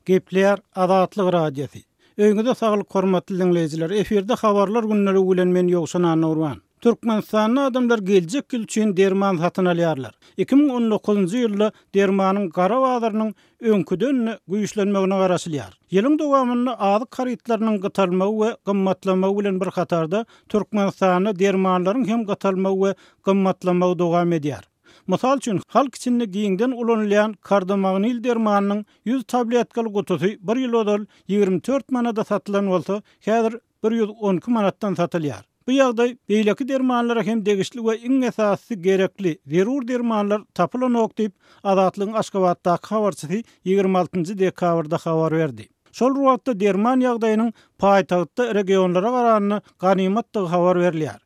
Gepleýär Azatlyk Radiosy. Öýüňize saglyk hormatly diňleýjiler. Efirde habarlar gündeligi bilen men Ýowşan Annagurban. Türkmenistanda adamlar geljek ýyl üçin derman satyn alýarlar. 2019-njy ýylda dermanyň gara bazarynyň öňküden-de güýçlenmegine garaşylýar. Ýylyň dowamynda azyk harytlarynyň gytalmagy we gymmatlamagy bilen bir hatarda Türkmenistanda dermanlaryň hem gytalmagy we gymmatlamagy dowam edýär. Mysal üçin, halk içinde giňden ulanylýan Kardomagnil dermanynyň 100 tabletkaly gutusy bir ýyl ozal 24 manada satylan bolsa, häzir 112 manatdan satylýar. Bu ýagdaý beýleki dermanlara hem degişli we iň esasysy gerekli, zerur dermanlar tapylanok diýip, Azatlygyň Aşgabatdaky habarçysy 26 dekabrda habar berdi. Şol bir wagtda derman ýagdaýynyň paýtagtda regionlara garanda ganymatdygy habar berilýär.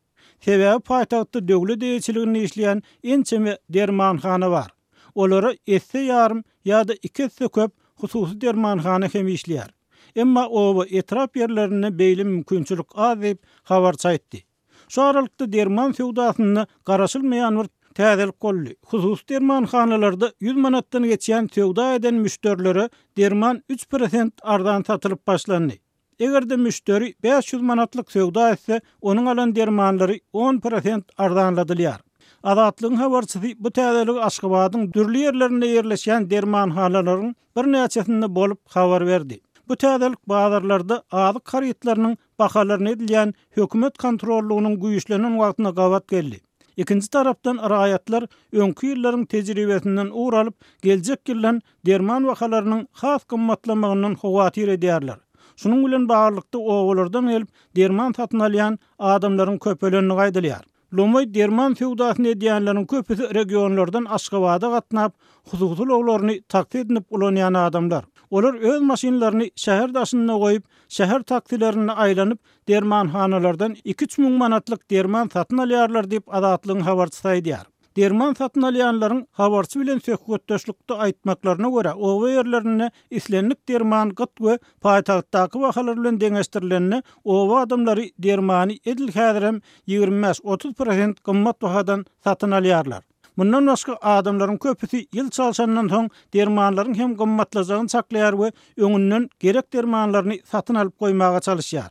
Sebäbi paýtagtda döwlet eýeçiliginde işleýän ençeme dermanhana bar. Olara esse ýarym ýa-da iki esse köp hususy dermanhana hem işleýär. Emma oba, etrap ýerlerinde beýle mümkinçilik az diýip, habarçy aýtdy. Şu aralykda derman söwdasynda garaşylmaýan bir täzelik boldy. Hususy dermanhanalarda 100 manatdan geçýän söwda eden müşderilere derman üç prosent arzan satylyp başlandy. Eger-de müşderi 500 manatlyk söwda etse, onuň alan dermanlary on prosent arzanladylýar. Azatlygyň habarçysy bu täzeligi Aşgabadyň dürli ýerlerinde ýerleşýän dermanhanalaryň birnäçesinde bolup habar berdi. Bu täzelik bazarlarda azyk harytlarynyň bahalaryna edilýän hökümet kontrollygynyň güýçlenen wagtyna gabat geldi. Ikinji tarapdan raýatlar öňki ýyllaryň tejribesinden ugur alyp, geljek ýyldan derman bahalarynyň has gymmatlamagyndan howatyr edýärler. Şunuň bilen baglylykda obalardan gelip derman satyn alýan adamlaryň köpelendigi aýdylýar. Lomaý derman söwdasyny edýänleriň köpüsi regionlardan Aşgabada gatnap, hususy ulaglaryny taksi edinip ulanýan adamlar. Olar öz maşynlaryny şäher daşynda goýup, şäher taksilerinde aýlanyp, dermanhanalardan iki-üç müň manatlyk derman satyn alýarlar diýip, Azatlygyň habarçysy aýdýar. Derman satyn alýanlaryň habarçy bilen söhbetdeşlikde aýtmaklaryna görä, oba ýerlerinde islendik derman gyt we paýtagtdaky bahalar bilen deňeşdirilende, oba adamlary dermany edil häzirem 25-30 prosent gymmat bahadan satyn alýarlar. Mundan başga, adamlaryň köpüsi ýyl çalşandan soň dermanlaryň hem gymmatlajagyny çaklaýar we öňünden gerek dermanlaryny satyn alyp goýmaga çalyşýar.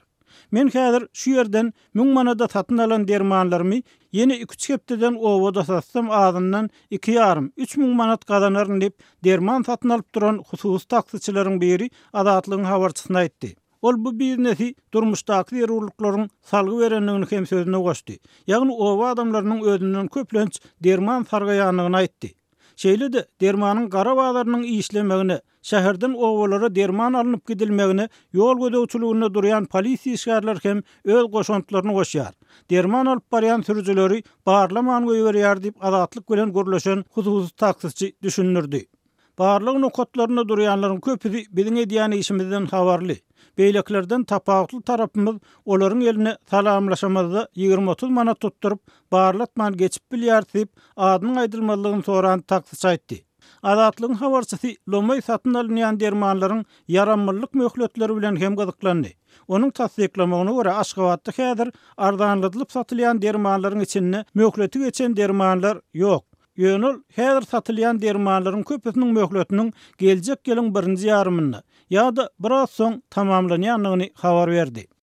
Men häzir şu ýerden müň manada satyn alan dermanlarymy ýene iki-üç hepdeden obada satsam azyndan iki ýarym, üç müň manat gazanaryn diýip, derman satyn alyp duran hususy taksiçileriň biri Azatlygyň habarçysyna aýtdy. Ol bu biznesi durmuşdaky zerurlyklaryň salgy berendigini hem sözüne goşdy. Ýagny oba adamlarynyň özünden köplenç derman sargaýandygyny aýtdy. Şeýle-de, dermanyň gara bazarynyň işlemegine, şäherden obalara derman alnyp gidilmegine ýol gözegçiliginde durýan polisiýa işgärleri hem öz goşantlaryny goşýar. Derman alyp barýan sürüjileri barlaman goýberýär diýip, Azatlyk bilen gürleşen hususy taksiçi düşündirdi. Barlag nokatlarynda durýanlaryň köpüsi biziň edýän işimizden habarly. Beýlekilerden tapawutly tarapymyz, olaryň eline salamlaşamyzda 20-30 manat tutduryp, barlatman geçip bilýäris diýip, adynyň aýdylmazlygyny soran taksiçi aýtdy. Azatlygyň habarçysy lomaý satyn alynýan dermanlaryň ýaramlylyk möhletleri bilen hem gyzyklandy. Onuň tassyklamagyna görä, Aşgabatda häzir arzanladylyp satylýan dermanlaryň içinde möhleti geçen dermanlar ýok. Ýöne ol häzir satylýan dermanlaryň köpüsiniň möhletiniň geljek ýylyň birinji ýarymynda ýa-da biraz soň tamamlanýandygyny habar berdi.